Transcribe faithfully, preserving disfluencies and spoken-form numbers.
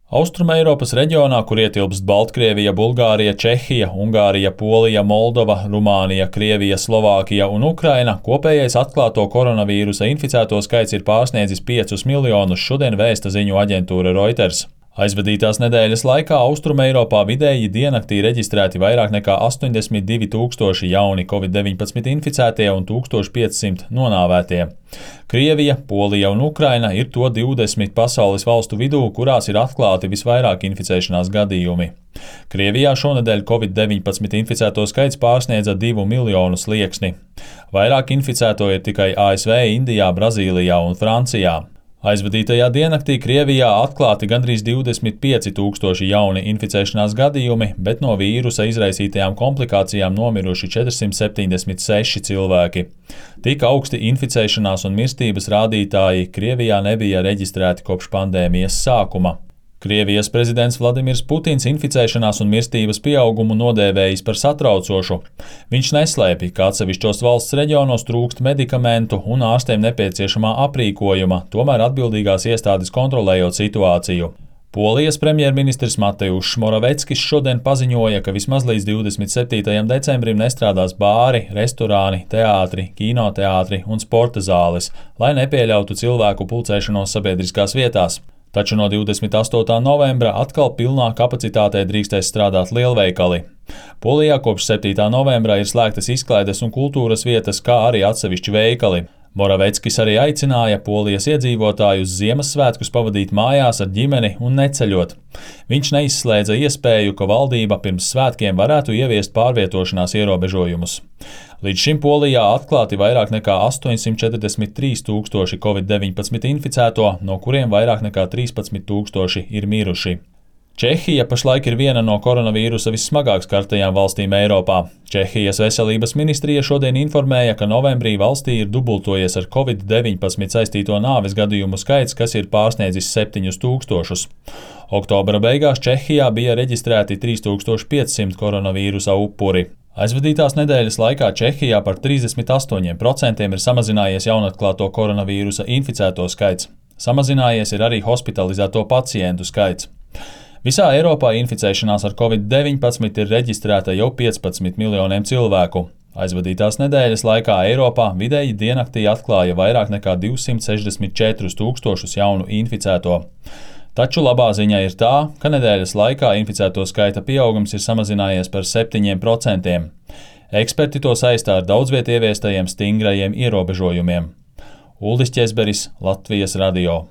Austrumeiropas reģionā, kur ietilpst Baltkrievija, Bulgārija, Čehija, Ungārija, Polija, Moldova, Rumānija, Krievija, Slovākija un Ukraina, kopējais atklāto koronavīrusa inficēto skaits ir pārsniedzis piecus miljonus, šodien vēsta ziņu aģentūra Reuters. Aizvadītās nedēļas laikā Austrumeiropā vidēji diennaktī reģistrēti vairāk nekā astoņdesmit divi tūkstoši jauni covid deviņpadsmit inficētie un tūkstoš piecsimt nonāvētie. Krievija, Polija un Ukraina ir to divdesmit pasaules valstu vidū, kurās ir atklāti visvairāk inficēšanās gadījumi. Krievijā šonedēļ covid deviņpadsmit inficēto skaits pārsniedza divu miljonu slieksni. Vairāk inficēto ir tikai A S V, Indijā, Brazīlijā un Francijā. Aizvadītajā diennaktī Krievijā atklāti gandrīz divdesmit pieci tūkstoši jauni inficēšanās gadījumi, bet no vīrusa izraisītajām komplikācijām nomiruši četrsimt septiņdesmit seši cilvēki. Tik augsti inficēšanās un mirstības rādītāji Krievijā nebija reģistrēti kopš pandēmijas sākuma. Krievijas prezidents Vladimirs Putins inficēšanās un mirstības pieaugumu nodēvējis par satraucošu. Viņš neslēpj, ka atsevišķos valsts reģionos trūkst medikamentu un ārstiem nepieciešamā aprīkojuma, tomēr atbildīgās iestādes kontrolējot situāciju. Polijas premjerministrs Mateušs Moraveckis šodien paziņoja, ka vismaz līdz divdesmit septītajam decembrim nestrādās bāri, restorāni, teātri, kinoteātri un sporta zāles, lai nepieļautu cilvēku pulcēšanos sabiedriskās vietās. Taču no divdesmit astotā novembra atkal pilnā kapacitātē drīkstēs strādāt lielveikali. Polijā kopš septītā novembra ir slēgtas izklaides un kultūras vietas, kā arī atsevišķi veikali. Moraveckis arī aicināja Polijas iedzīvotājus Ziemassvētkus pavadīt mājās ar ģimeni un neceļot. Viņš neizslēdza iespēju, ka valdība pirms svētkiem varētu ieviest pārvietošanās ierobežojumus. Līdz šim Polijā atklāti vairāk nekā astoņsimt četrdesmit trīs tūkstoši covid deviņpadsmit inficēto, no kuriem vairāk nekā trīspadsmit tūkstoši ir miruši. Čehija pašlaik ir viena no koronavīrusa vissmagāk skartajām valstīm Eiropā. Čehijas veselības ministrija šodien informēja, ka novembrī valstī ir dubultojies ar covid deviņpadsmit saistīto nāves gadījumu skaits, kas ir pārsniedzis septiņus tūkstošus. Oktobra beigās Čehijā bija reģistrēti trīs tūkstoši piecsimt koronavīrusa upuri. Aizvadītās nedēļas laikā Čehijā par trīsdesmit astoņiem procentiem ir samazinājies jaunatklāto koronavīrusa inficēto skaits. Samazinājies ir arī hospitalizēto pacientu skaits. Visā Eiropā inficēšanās ar covid deviņpadsmit ir reģistrēta jau piecpadsmit miljoniem cilvēku. Aizvadītās nedēļas laikā Eiropā vidēji diennaktī atklāja vairāk nekā divsimt sešdesmit četrus tūkstošus jaunu inficēto. Taču labā ziņa ir tā, ka nedēļas laikā inficēto skaita pieaugums ir samazinājies par septiņiem procentiem. Eksperti to saistā ar daudzviet ieviestajiem stingrajiem ierobežojumiem. Uldis Ķezberis, Latvijas radio.